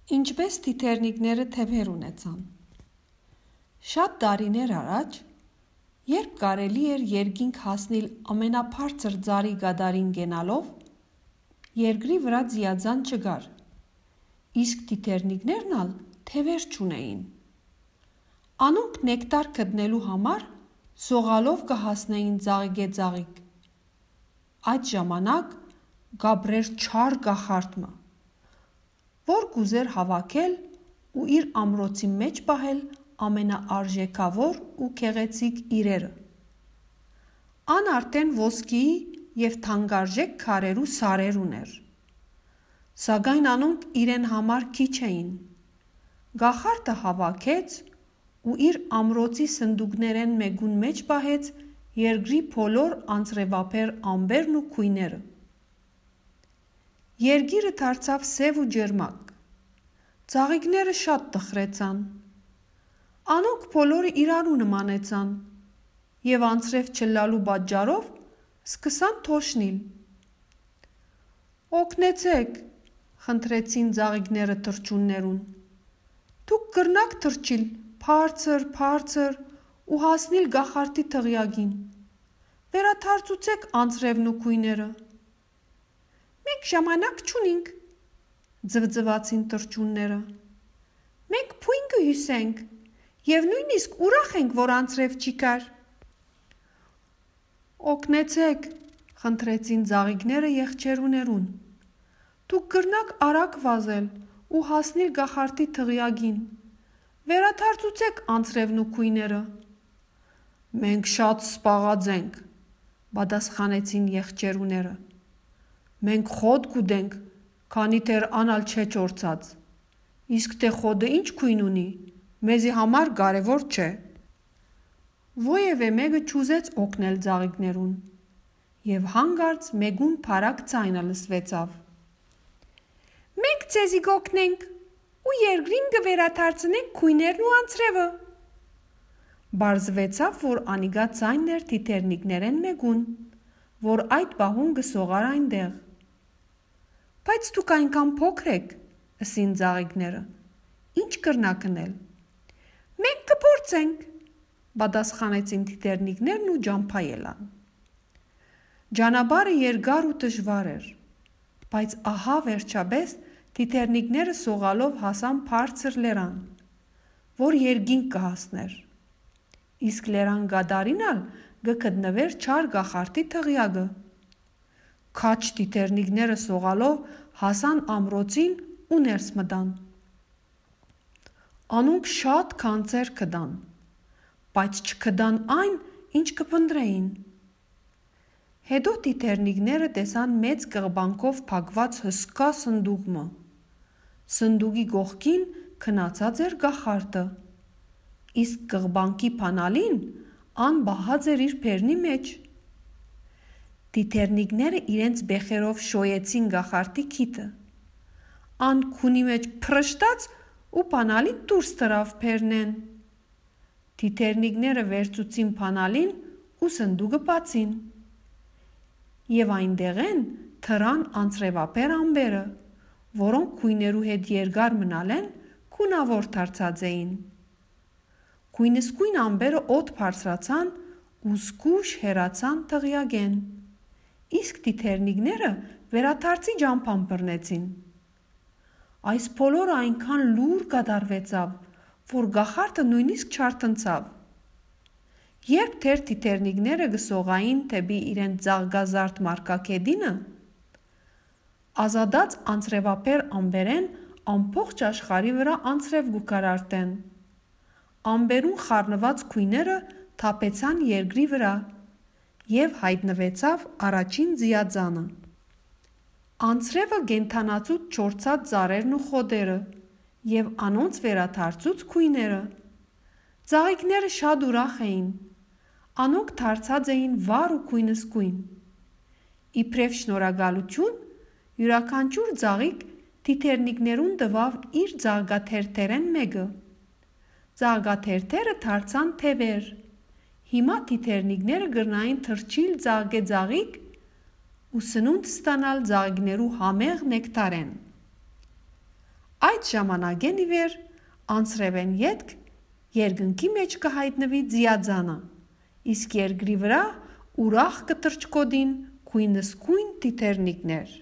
Ինչպես թիթեռնիկները թևեր ունեցան։ Շատ տարիներ առաջ, երբ կարելի էր երկինք հասնել ամենաբարձր ծառի գադարին գնալով, երկրի վրա ձիաձան չկար, իսկ թիթեռնիկներն ալ թևեր չունեին։ Անոնք նեկտար գտնելու համար սողալով կհասնեին ծաղիկե-ծաղիկ։ Այդ ժամանակ գաբրեր չար կախարդը, որ կուզեր հավաքել ու իր ամրոցի մեջ պահել ամենաարժեքավոր ու գեղեցիկ իրերը։ Ան արդեն ոսկիի և թանկարժեք քարեր ու սարեր ուներ, սակայն անոնք իրեն համար քիչ էին։ Կախարդը հավաքեց ու իր ամրոցի սնդուկներեն մեկուն մեջ պահեց երկրի բոլոր անձրևափեր ամպերն ու գույները։ Երկիրը դարձավ սև ու ջերմակ, ծաղիկները շատ տխրեցան, անոնք բոլորը իրարու նմանեցան և անձրև չլալու պատճառով սկսան թոշնել։ «Օգնեցեք», խնդրեցին ծաղիկները թռչուններուն, «դուք կրնաք թռչիլ բարձր ու հասնել կախարդի դղյակին, վերադարձուցեք անձրևն ու գույները»։ «Մենք ժամանակ չունինք», ձվձվացին թռչունները, «մենք բույն կհյուսենք և նույնիսկ ուրախ ենք, որ անձրև չի կար»։ «Օգնեցեք», խնդրեցին ծաղիկները եղջերուներուն, «դուք կրնաք արագ վազել ու հասնել կախարդի դղյակին, վերադարձուցեք անձրևն ու գույները»։ «Մենք շատ սպաղած ենք», պատասխանեցին եղջերուները, «մենք խոտ կուտենք, քանի դեռ ան ալ չէ չորցած, իսկ թե խոտը ինչ գույն ունի, մեզի համար կարևոր չէ»։ Ոևէ մեկը չուզեց օգնել ծաղիկներուն և հանկարծ մեկուն բարակ ձայնը լսվեցավ. «Մենք ձեզի կօգնենք ու երկրին կվերադարձնենք գույներն ու անձրևը»։ Պարզվեցավ, որ անիկա ձայնն էր թիթեռնիկներեն մեկուն, որ այդ պահուն կսողար այնտեղ։ «Բայց դուք այնքան փոքր եք», ըսին ծաղիկները, «ինչ կրնաք ընել»։ «Մենք կփորձենք», պատասխանեցին թիթեռնիկներն ու ջամփա ելան։ Ճանապարհը երկար ու դժվար էր, բայց ահա վերջապես թիթեռնիկները սողալով հասան բարձր լեռան, որ երկինք կհասներ, իսկ լեռան գադարին ալ կգտնվեր չար կախարդի դղյակը։ Քաջ թիթեռնիկները սողալով հասան ամրոցին ու ներս մտան։ Անոնք շատ քանծեր գտան, բայց չգտան այն, ինչ կփնտրեին։ Հետո թիթեռնիկները տեսան մեծ կղբանքով փակված հսկա սնդուկ։ Սնդուկի կողքին քնացած էր կախարդը, իսկ կղբանքի բանալին ան պահած էր իր բերնի մեջ։ Թիթեռնիկները իրենց բեխերով շոյեցին կախարդի քիթը, ան քունի մեջ փռշտաց ու բանալին դուրս թռավ բերնեն։ Թիթեռնիկները վերցուցին բանալին ու սնդուկը բացին, և այնտեղեն թռան անձրևափեր ամպերը, որոնք գույներու հետ երկար մնալեն գունավոր դարձած էին։ Գույնզգույն ամպերը օդ բարձրացան ու զգույշ հեռացան դղյակեն, իսկ թիթեռնիկները վերադարձի ճամփան բռնեցին։ Այս բոլորը այնքան լուռ կատարվեցավ, որ կախարդը նույնիսկ չարթնցավ։ Երբ դեռ թիթեռնիկները կսողային դեպի իրենց ծաղկազարդ մարգագետինը, ազատած անձրևափեր ամպերեն ամբողջ աշխարհի վրա անձրև կկարարտեն։ Ամպերուն խառնված գույները թափեցան երկրի վրա և հայտնվեցավ առաջին ձիաձանը։ Անձրևը կենդանացուց չորցած ծառերն ու խոտերը և անոնց վերադարձուց գույները։ Ծաղիկները շատ ուրախ էին, անոնք դարձած էին վառ ու գույնզգույն։ Իբրև շնորհակալություն, յուրաքանչյուր ծաղիկ թիթեռնիկներուն տվավ իր ծաղկաթերթերեն մեկը։ Ծաղկաթերթերը դարձան թևեր։ Հիմա թիթեռնիկները կրնային թռչիլ ծաղկե-ծաղիկ ու սնունդ ստանալ ծաղիկներու համեղ նեկտարեն։ Այդ ժամանակեն ի վեր անցրևեն ետք երկնքի մեջ կհայտնվի ձիաձանը, իսկ երկրի վրա ուրախ կտրճկոդին քույնսկույն տիթեռնիկներ։